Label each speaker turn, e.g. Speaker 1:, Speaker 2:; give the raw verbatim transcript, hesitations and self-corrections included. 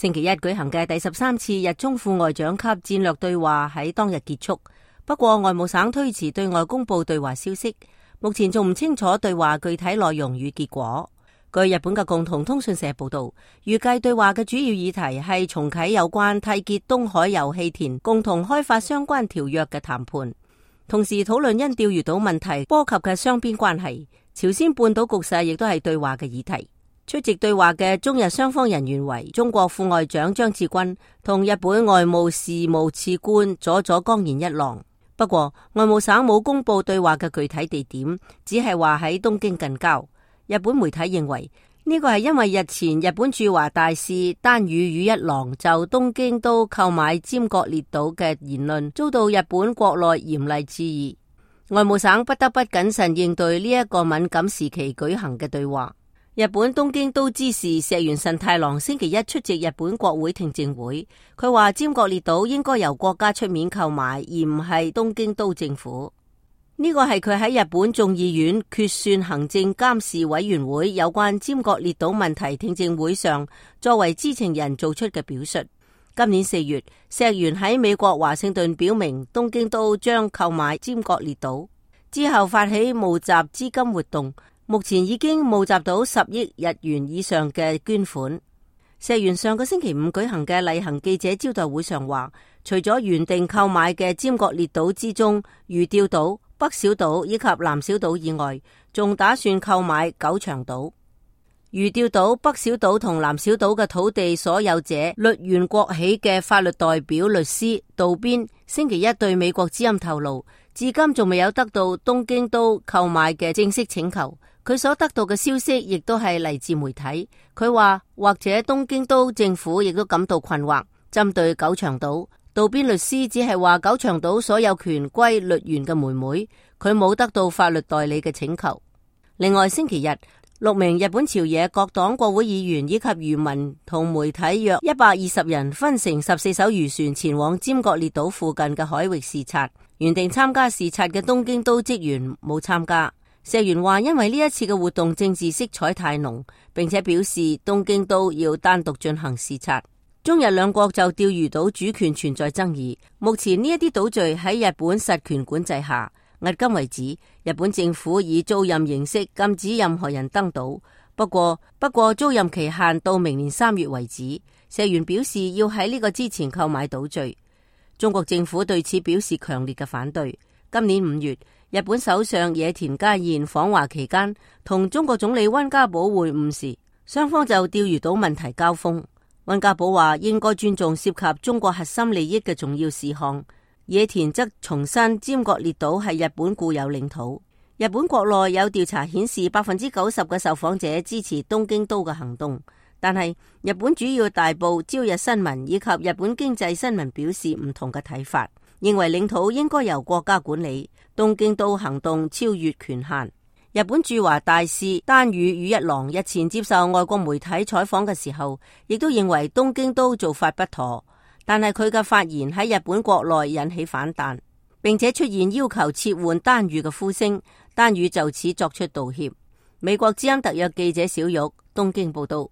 Speaker 1: 星期一舉行嘅第十三次日中副外長級戰略對話喺當日結束，不過外務省推遲對外公布對話消息，目前仲唔清楚對話具體內容與結果。據日本嘅共同通訊社報道，預計對話嘅主要議題係重啟有關締結東海油氣田共同開發相關條約嘅談判，同時討論因釣魚島問題波及嘅雙邊關係。朝鮮半島局勢亦都係對話嘅議題。出席對話嘅中日雙方人員為中國副外長張志軍同日本外務事務次官佐佐岡賢一郎。不過外務省冇公布對話嘅具體地點，只係話喺東京近郊。日本媒體認為呢個係因為日前日本駐華大使丹羽羽一郎就東京都購買尖閣列島嘅言論遭到日本國內嚴厲質疑，外務省不得不謹慎應對呢一個敏感時期舉行嘅對話。日本東京都知事石原慎太郎星期一出席日本國會聽證會，佢話尖閣列島應該由國家出面購買，而唔係東京都政府。呢個係佢喺日本眾議院決算行政監視委員會有關尖閣列島問題聽證會上作為知情人做出嘅表述。今年四月，石原喺美國華盛頓表明東京都將購買尖閣列島，之後發起募集資金活動，目前已經募集到十億日元以上嘅捐款。石原上個星期五舉行嘅例行記者招待會上話，除咗原定購買嘅尖閣列島之中魚釣島、北小島以及南小島以外，仲打算購買九長島。魚釣島、北小島同南小島嘅土地所有者栗原國起嘅法律代表律師渡邊星期一對美國之音透露，至今仲未有得到東京都購買嘅正式請求。佢所得到嘅消息亦都係嚟自媒體。佢話或者東京都政府亦都感到困惑。針對九長島，渡邊律師只係話九長島所有權歸栗原嘅妹妹，佢冇得到法律代理嘅請求。另外星期日，六名日本朝野各黨國會議員以及漁民同媒體約一百二十人分成十四艘漁船前往尖閣列島附近嘅海域視察。原定參加視察嘅東京都職員冇參加。石原話因為呢一次嘅活動政治色彩太濃，並且表示東京都要單獨進行視察。中日兩國就釣魚島主權存在爭議，目前呢一啲島嶼喺日本實權管制下。迄今為止，日本政府以租賃形式禁止任何人登島，不過不過租賃期限到明年三月為止。石原表示要喺呢個之前購買島嶼。中國政府對此表示強烈嘅反對。今年五月，日本首相野田佳彥訪華期間，同中國總理溫家寶會晤時，雙方就釣魚島問題交鋒。溫家寶話應該尊重涉及中國核心利益嘅重要事項，野田則重申尖閣列島係日本固有領土。日本國內有調查顯示，百分之九十嘅受訪者支持東京都嘅行動，但係日本主要大報朝日新聞以及日本經濟新聞表示唔同嘅睇法，認為領土應該由國家管理，東京都行動超越權限。日本駐華大使丹羽羽一郎日前接受外國媒體採訪嘅時候，亦都認為東京都做法不妥，但係佢嘅發言喺日本國內引起反彈，並且出現要求撤換丹羽嘅呼聲，丹羽就此作出道歉。美國之音特約記者小玉東京報道。